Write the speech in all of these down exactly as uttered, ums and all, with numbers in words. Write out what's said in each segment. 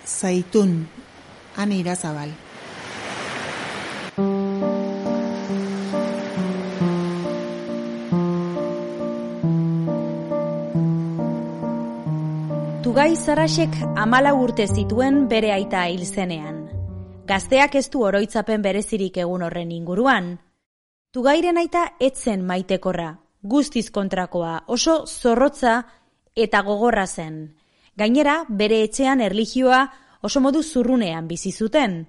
Zaitun, Ane Irazabal. Tugay Sarrasek hamalau urte zituen bere aita hil zenean. Gazteak ez du oroitzapen berezirik egun horren inguruan. Tugayren aita etzen maitekorra, guztiz kontrakoa, oso zorrotza eta gogorra zen. Gainera, bere etxean erlijioa oso modu zurrunean bizi zuten.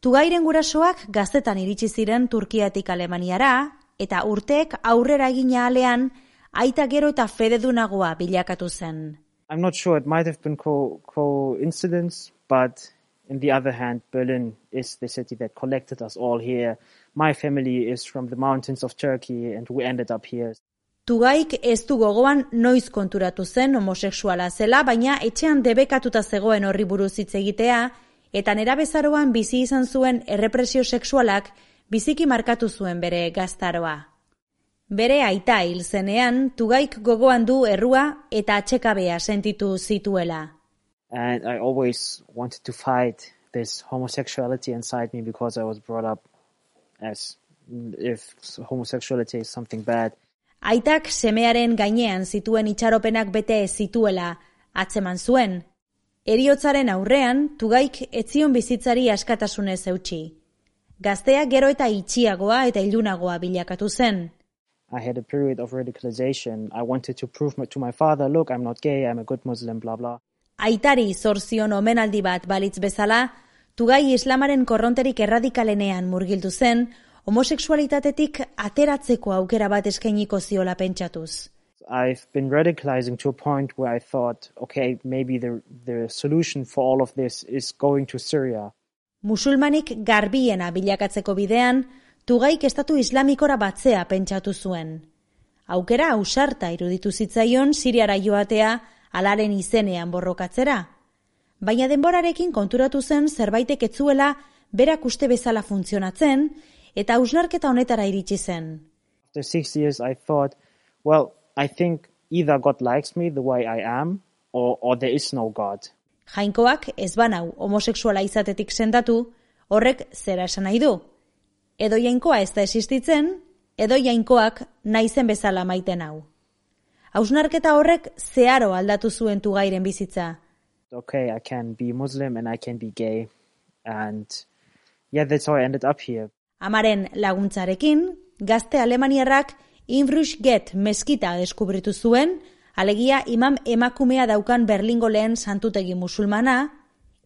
Tugayren gurasoak gaztetan iritsi ziren Turkiatik Alemaniara, eta urteek aurrera egina alean, aita gero eta fededunagoa bilakatu zen. I'm not sure, it might have been co- coincidence, but on the other hand, Berlin is the city that collected us all here. My family is from the mountains of Turkey and we ended up here. Tugayk ez du gogoan noiz konturatu zen homosexuala zela, baina etxean debekatuta zegoen horri buruz hitz egitea, eta nerabezaroan bizi izan zuen errepresio sexualak biziki markatu zuen bere gaztaroa. Bere aita hil zenean, Tugayk gogoan du errua eta atxekabea sentitu zituela. And I always wanted to fight this homosexuality inside me because I was brought up as if homosexuality is something bad. Aitak semearen gainean zituen itxaropenak bete ez zituela atzeman zuen. Heriotzaren aurrean, Tugayk ez zion bizitzari askatasunez eutsi. Gaztea gero eta itxiagoa eta ilunagoa bilakatu zen. I had a period of radicalization. I wanted to prove to my father, look, I'm not gay, I'm a good Muslim, blah, blah. Aitari zor zion omenaldi bat balitz bezala, Tugay islamaren korronterik erradikalenean murgildu zen, homosexualitatetik ateratzeko aukera bat eskainiko ziola pentsatuz. I've been radicalizing to a point where I thought, okay, maybe the, the solution for all of this is going to Syria. Musulmanik garbiena bilakatzeko bidean, Tugayk estatu islamikora batzea pentsatu zuen. Aukera ausarta iruditu zitzaion Siriara joatea alaren izenean borrokatzera. Baina denborarekin konturatu zen zerbaitek etzuela berak uste bezala funtzionatzen, eta hausnarketa honetara iritsi zen. After six years I thought, well, I think either God likes me the way I am, or, or there is no God. Jainkoak ez banau homosexuala izatetik sendatu, horrek zera esan nahi du. Edo jainkoa ez da existitzen, edo jainkoak naizen bezala maiten hau. Hausnarketa horrek zeharo aldatu zuen Tugayren bizitza. Okay, I can be Muslim and I can be gay. And yeah, that's how I ended up here. Amaren laguntzarekin, gazte alemaniarrak Inbruch Get meskita deskubritu zuen, alegia imam emakumea daukan Berlingo lehen santutegi musulmana,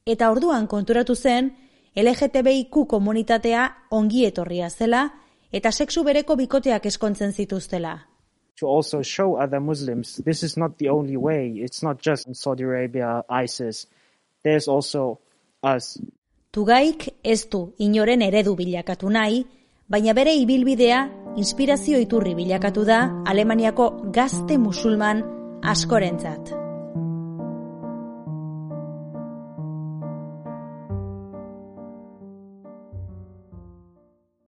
eta orduan konturatu zen L G T B I Q komunitatea ongi etorria zela eta sexu bereko bikoteak eskontzen zituztela. To also show other Muslims, this is not the only way. It's not just in Saudi Arabia, ISIS. There's also us. Tugayk ez du inoren eredu bilakatu nahi, baina bere ibilbidea inspirazio iturri bilakatu da Alemaniako gazte musulman askorentzat.